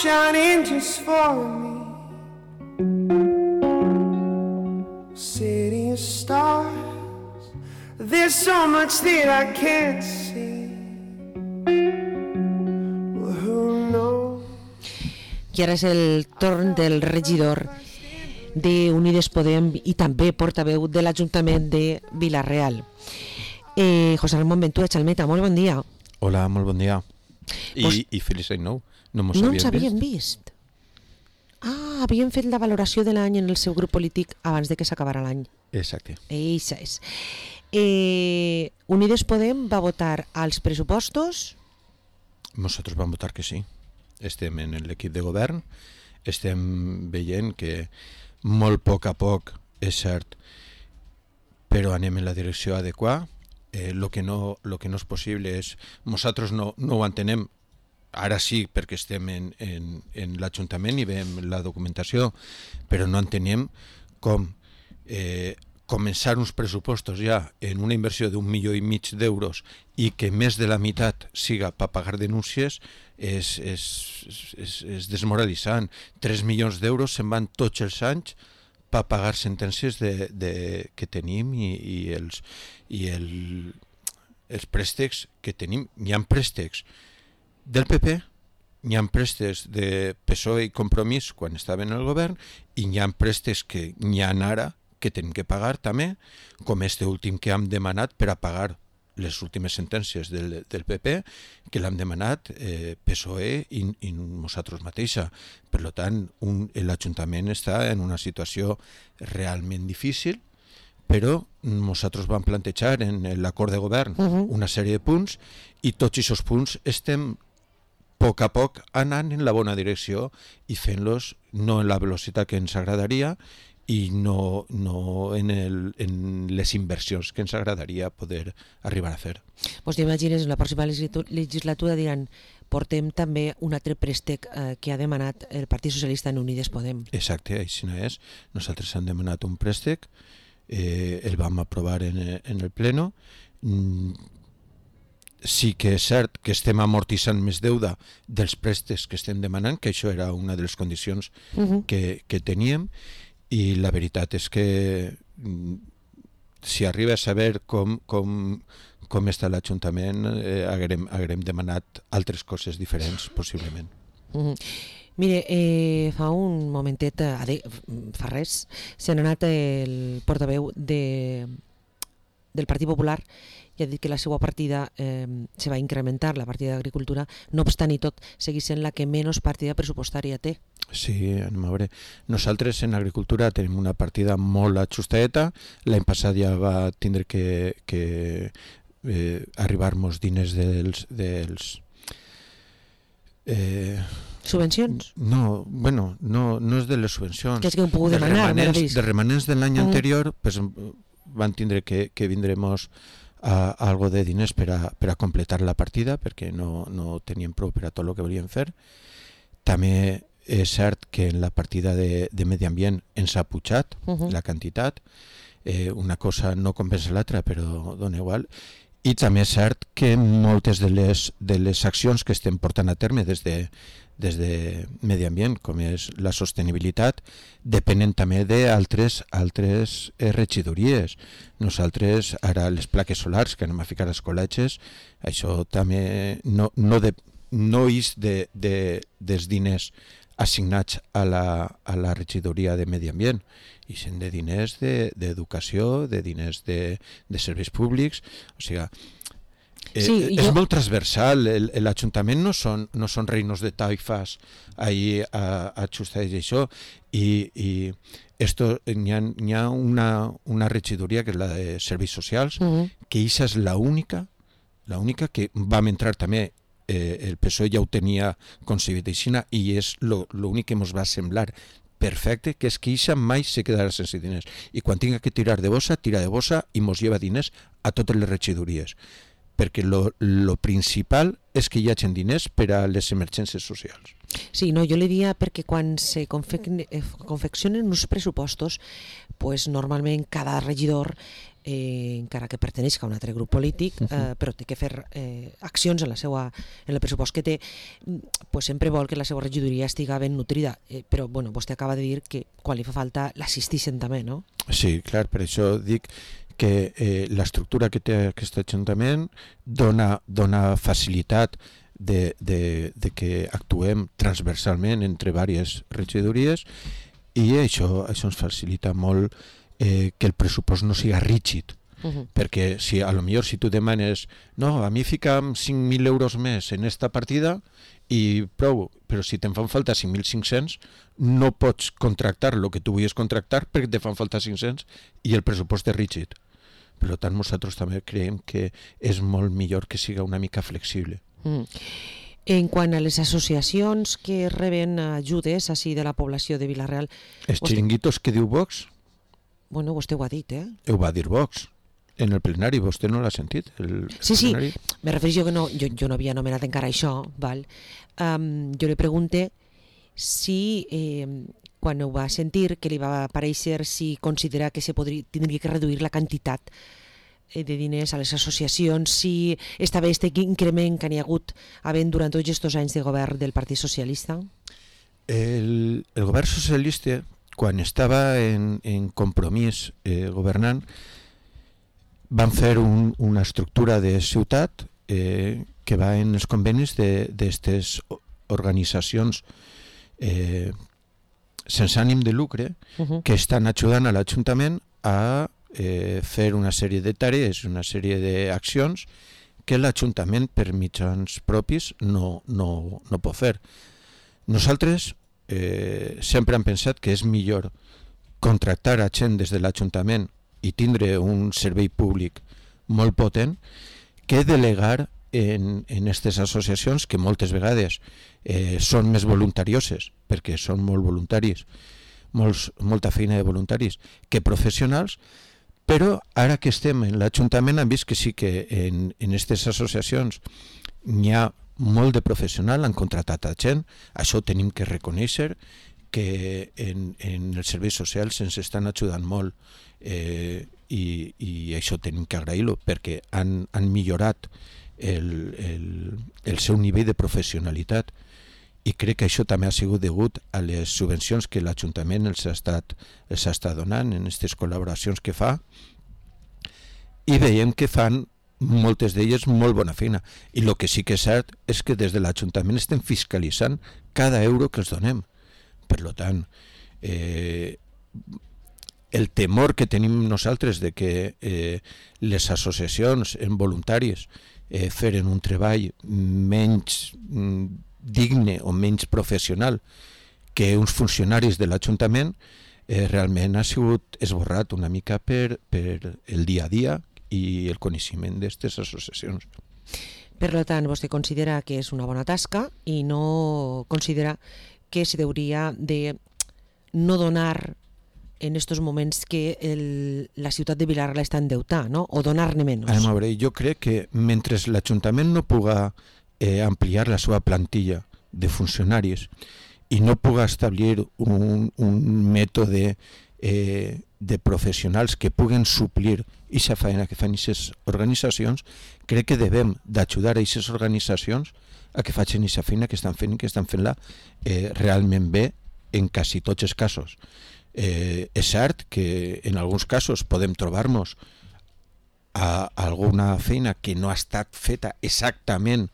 shining just for me. City of stars, there's so much that I can't see. Well, who knows? I ara és el torn del regidor d'Unides Podem i també portaveu de l'Ajuntament de Vila-real. José Ramón Ventura Chalmeta, molt bon dia. Hola, molt bon dia. I feliç any nou. No ens havíem vist. Havien fet la valoració de l'any en el seu grup polític abans de que s'acabara l'any. Exacte. Eixa és. Unides Podem va votar als pressupostos? Nosaltres vam votar que sí. Estem en l'equip de govern, estem veient que molt poc a poc, és cert, però anem en la direcció adequada. Lo que no és possible és... Nosaltres no ho entenem, ara sí, perquè estem en l'Ajuntament i veiem la documentació, però no entenem com començar uns pressupostos ja en una inversió d'1,5 milió d'euros i que més de la meitat siga per pagar denúncies és desmoralitzant. 3 milions d'euros se'n van tots els anys per pagar sentències que tenim i els préstecs que tenim. Hi ha préstecs del PP, hi ha préstecs de PSOE i Compromís quan estaven al govern i hi ha préstecs que n'hi ha ara que tenim que pagar també, com este últim que hem demanat per a pagar les últimes sentències del PP, que l'hem demanat PSOE i nosaltres mateixa. Per tant, l'Ajuntament està en una situació realment difícil, però nosaltres vam plantejar en l'acord de govern una sèrie de punts i tots aquests punts estem a poc a poc anant en la bona direcció i fent-los no en la velocitat que ens agradaria i no en les inversions que ens agradaria poder arribar a fer. Doncs t'imagines, en la pròxima legislatura diran portem també un altre préstec que ha demanat el Partit Socialista en Unides Podem. Exacte, així no és. Nosaltres hem demanat un préstec, el vam aprovar en el pleno. Sí que és cert que estem amortitzant més deuda dels préstecs que estem demanant, que això era una de les condicions que teníem, i la veritat és que si arriba a saber com està l'Ajuntament haguem demanat altres coses diferents possiblement. Mire, fa un momentet, fa res, se n'ha anat el portaveu del Partit Popular i ha dit que la seva partida se va incrementar, la partida d'Agricultura, no obstant i tot, segueix sent la que menys partida pressupostària té. Sí, anem a veure. Nosaltres en Agricultura tenim una partida molt ajustadeta. L'any passat ja va tindre que arribar-nos diners dels subvencions? No, bueno, no és de les subvencions. Que és que ho puc demanar, dels remanents de l'any anterior, pues, van tindre que vindremos algo de diners per a completar la partida, perquè no tenien prou per a tot el que volien fer. També és cert que en la partida de medi ambient ens ha pujat la quantitat, una cosa no compensa l'altra, però dona igual. I també és cert que moltes de les accions que estem portant a terme des de medi ambient, com és la sostenibilitat, depenen també d'altres regidories. Nosaltres, ara les plaques solars que anem a ficar als col·legis, això també no és dels diners assignats a la regidoria de medi ambient, i són de diners d'educació, de diners de serveis públics, o sigui, és molt transversal. L'Ajuntament no són reinos de taifas ahí ajustats i això, i hi ha una regidoria que és la de serveis socials, que aquesta és l'única que vam entrar també. El PSOE ja ho tenia concebit aixina i és l'únic que ens va semblar perfecte, que és que això mai se quedarà sense diners, i quan tinga que tirar de bossa, tira de bossa i mos lleva diners a totes les regidories, perquè lo principal és que hi hagi diners per a les emergències socials. Sí, no, jo li diria perquè quan se confeccionen uns pressupostos, pues normalment cada regidor encara que perteneix a un altre grup polític, però té que fer accions en el pressupost que té, pues sempre vol que la seva regidoria estiga ben nutrida, però bueno, vostè acaba de dir que quan li fa falta l'assistixen també, no? Sí, clar, per això dic que l'estructura que té aquest Ajuntament dona facilitat de que actuem transversalment entre diverses regidories, i això ens facilita molt que el pressupost no siga rígid, perquè si a lo millor si tu demanes no, a mi fica'm 5.000 euros més en esta partida i prou, però si te'n fan falta 5.500 no pots contractar el que tu volies contractar perquè te fan falta 500 i el pressupost és rígid. Per tant, nosaltres també creiem que és molt millor que siga una mica flexible. En quant a les associacions que reben ajudes així de la població de Vila-real... Els xiringuitos que diu Vox? Bueno, vostè ho ha dit, Ho va dir Vox en el plenari, vostè no l'ha sentit? Sí, me refereixo que jo no havia anomenat encara això, val? Jo li pregunte si quan ho va sentir, que li va aparèixer, si considera que tindria que reduir la quantitat de diners a les associacions, si està bé aquest increment que n'hi ha hagut havent durant tots aquests anys de govern del Partit Socialista? El govern socialista, quan estava en Compromís governant, van fer una estructura de ciutat que va en els convenis d'aquestes organitzacions sense ànim de lucre que estan ajudant a l'Ajuntament a fer una sèrie de tarees, una sèrie d'accions que l'Ajuntament per mitjans propis no pot fer. Nosaltres sempre hem pensat que és millor contractar a gent des de l'Ajuntament i tindre un servei públic molt potent que delegar en aquestes associacions que moltes vegades són més voluntarioses, perquè són molt voluntaris, molta feina de voluntaris, que professionals, però ara que estem en l'Ajuntament hem vist que sí que en aquestes associacions n'hi ha molt de professional, han contratat a gent, això ho tenim que reconèixer, que en els serveis socials ens estan ajudant molt i això tenim que agrair-lo perquè han millorat el seu nivell de professionalitat i crec que això també ha sigut degut a les subvencions que l'Ajuntament els ha estat donant en aquestes col·laboracions que fa, i veiem que fan moltes d'elles molt bona feina, i el que sí que és cert és que des de l'Ajuntament estem fiscalitzant cada euro que els donem. Per tant, el temor que tenim nosaltres de que les associacions en voluntaris feren un treball menys digne o menys professional que uns funcionaris de l'Ajuntament realment ha sigut esborrat una mica per el dia a dia i el coneixement d'aquestes associacions. Per tant, vostè considera que és una bona tasca i no considera que se hauria de no donar en estos moments que la ciutat de Vila-real està endeutada, no? O donar-ne menys. A veure, jo crec que mentre l'Ajuntament no puga ampliar la seva plantilla de funcionaris i no puga establir un mètode de professionals que puguen suplir aquesta feina que fan aquestes organitzacions, crec que devem d'ajudar a aquestes organitzacions a que facin aquesta feina que estan fent i que estan fent-la realment bé en quasi tots els casos. És cert que en alguns casos podem trobar-nos a alguna feina que no ha estat feta exactament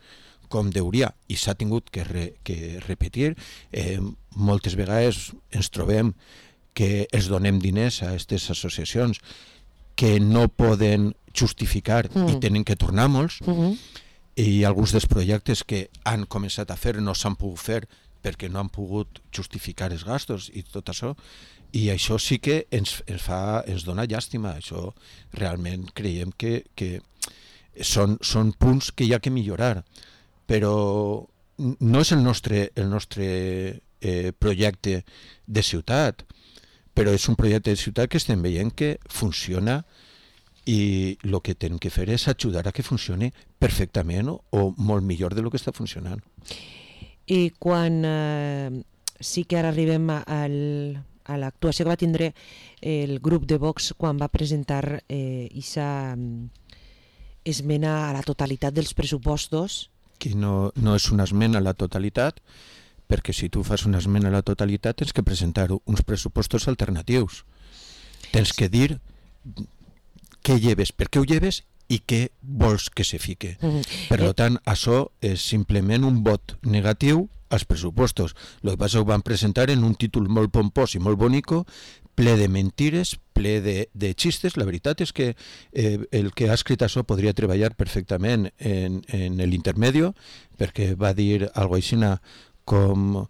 com deuria i s'ha tingut que repetir. Moltes vegades ens trobem que els donem diners a aquestes associacions que no poden justificar i tenen que tornar molts, i alguns dels projectes que han començat a fer no s'han pogut fer perquè no han pogut justificar els gastos i tot això, i això sí que ens dona llàstima. Això realment creiem que són punts que hi ha que millorar, però no és el nostre projecte de ciutat, però és un projecte de ciutat que estem veient que funciona i el que tenim que fer és ajudar a que funcioni perfectament o molt millor del que està funcionant. I quan sí que ara arribem al a l'actuació que va tindre el grup de Vox quan va presentar aquesta esmena a la totalitat dels pressupostos. Que no és una esmena a la totalitat, perquè si tu fas una esmena a la totalitat tens que presentar uns pressupostos alternatius. Tens que dir què lleves, per què ho lleves i què vols que se fique. Per tant, això és simplement un vot negatiu als pressupostos. El que passa ho van presentar en un títol molt pompós i molt bonico, ple de mentires, ple de xistes. La veritat és que el que ha escrit això podria treballar perfectament en l'intermedio, perquè va dir algo així com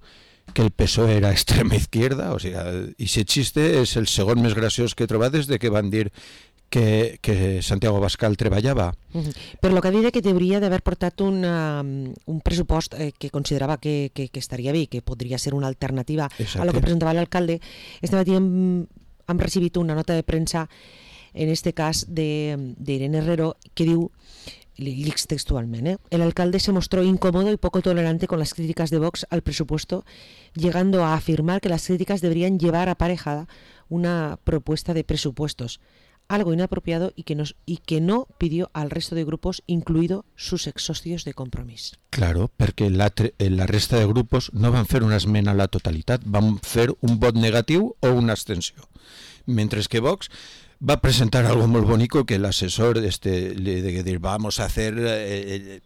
que el PSOE era extrema izquierda, o sigui, i aquest xiste és el segon més graciós que he trobat des de que van dir que Santiago Abascal treballava. Però el que ha dit que hauria d'haver portat un pressupost que considerava que estaria bé, que podria ser una alternativa a lo que presentava l'alcalde. Este matí hem recibit una nota de premsa, en este cas d'Irene Herrero, que diu, lix textualmente, el alcalde se mostró incómodo y poco tolerante con las críticas de Vox al presupuesto, llegando a afirmar que las críticas deberían llevar aparejada una propuesta de presupuestos, algo inapropiado y que no pidió al resto de grupos, incluido sus exsocios de Compromís. Claro, perquè la resta de grupos no van fer una esmena a la totalitat, van fer un vot negatiu o una abstenció. Mentre que Vox va presentar algo molt bonico que l'assessor le de dir vamos a hacer el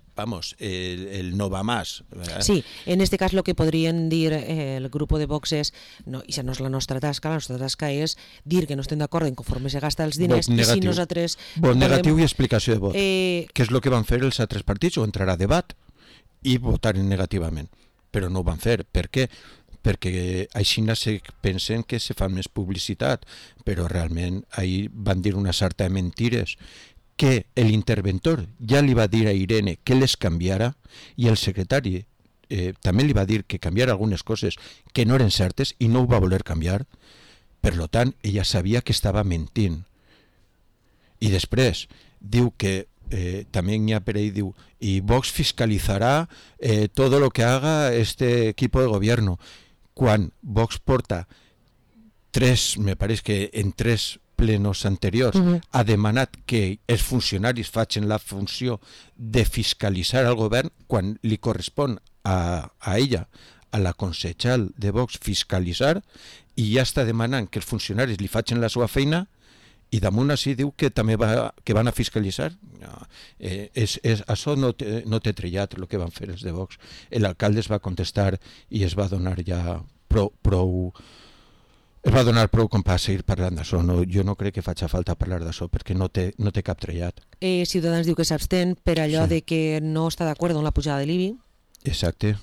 no va más, ¿verdad? Sí, en este cas lo que podrien dir el grup de Vox és, no, això no és la nostra tasca és dir que no estem d'acord en conforme se gasta els diners i si nosaltres... Vot negatiu i explicació de vot. Què és el que van fer els altres partits? O entrar a debat i votar negativament. Però no ho van fer. Per què? Perquè així se pensen que se fa més publicitat, però realment ahir van dir una sarta de mentires que l'interventor ja li va dir a Irene que les canviara i el secretari també li va dir que canviara algunes coses que no eren certes i no ho va voler canviar. Per tant, ella sabia que estava mentint. I després diu que també n'hi ha per ahí, diu, y Vox fiscalizará todo lo que haga este equipo de gobierno. Quan Vox porta me pareix que en 3 plenos anteriors ha demanat que els funcionaris facin la funció de fiscalitzar el govern quan li correspon a ella, a la consellera de Vox, fiscalitzar, i ja està demanant que els funcionaris li facin la seva feina i damunt així diu que també que van a fiscalitzar. No, això no té trellat el que van fer els de Vox. L'alcalde es va contestar i es va donar ja prou com per seguir parlant d'això. No, jo no crec que faci falta parlar d'això perquè no té cap trellat. Ciutadans diu que s'abstén per allò de que no està d'acord amb la pujada de l'IBI. Exacte.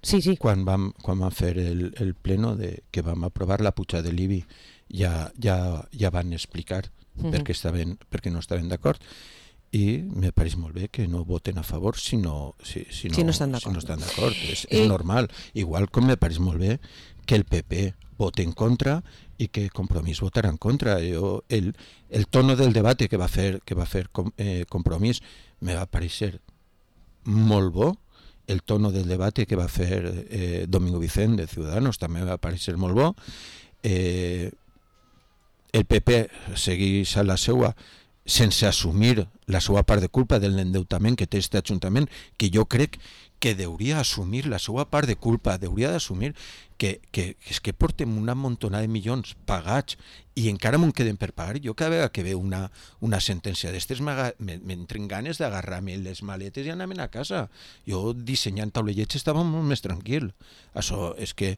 Sí. Quan vam fer el pleno que vam aprovar la pujada de l'IBI ja van explicar perquè no estaven d'acord i me pareix molt bé que no voten a favor si no estan d'acord. És normal. Igual com me pareix molt bé que el PP vote en contra i que Compromís votarà en contra. El tono del debat que va fer Compromís me va pareixer molt bo. El tono del debat que va fer Domingo Vicent de Ciudadanos també va pareixer molt bo. El PP segueix a la seua sense assumir la seva part de culpa de l'endeutament que té aquest ajuntament, que jo crec que hauria assumir la seva part de culpa, hauria d'assumir que és que portem una montonada de milions pagats i encara m'ho queden per pagar. Jo cada vegada que veu una sentència d'estes m'entren ganes d'agarrar-me les maletes i anar-me'n a casa. Jo dissenyant taulellets estava molt més tranquil. Això és que...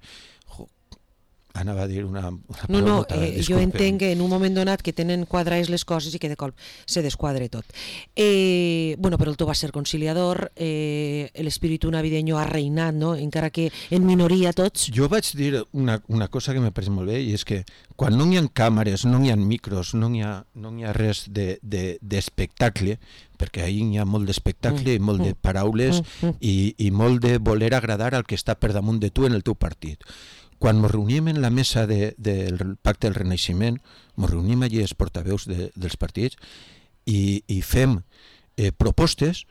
anava a dir una No, jo entenc que en un moment donat que tenen quadrades les coses i que de cop se desquadre tot. Però el to va ser conciliador, l'espíritu navideño ha reinat, no? Encara que en minoria tots. Jo vaig dir una cosa que m'ha pareix molt bé, i és que quan no hi ha càmeres, no hi ha micros, no hi ha res d'espectacle, perquè ahir hi ha molt d'espectacle i molt de paraules i molt de voler agradar al que està per damunt de tu en el teu partit. Quan ens reunim en la mesa del Pacte del Renaixement, ens reunim allí els portaveus dels partits i fem propostes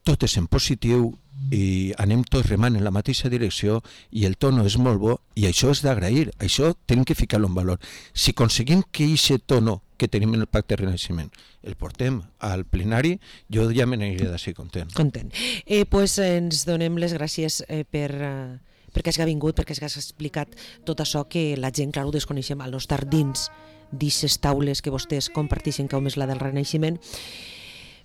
tot és en positiu i anem tots remant en la mateixa direcció i el tono és molt bo i això és d'agrair, això tenim que ficar-lo en valor. Si aconseguim que aquest tono que tenim en el Pacte de Renaixement el portem al plenari, jo ja me n'aniré d'ací content. Pues ens donem les gràcies perquè has vingut, perquè has explicat tot això que la gent, clar, ho desconeixem, al no estar dins d'aquestes taules que vostès comparteixen, com és la del Renaixement.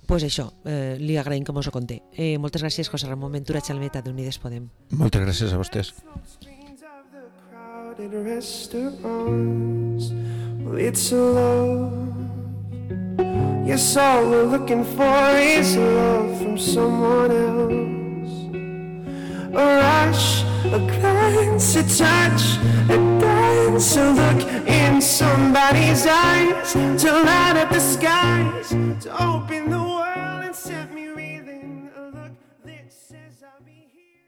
Pues això, li agraïm que mos ho conté. Moltes gràcies, José Ramon Ventura Chalmeta, d'Unides Podem. Moltes gràcies a vostès. It's a love. Yes, all we're looking for is love from someone else. A rush, a glance, a touch, a dance, a look in somebody's eyes to light up the sky.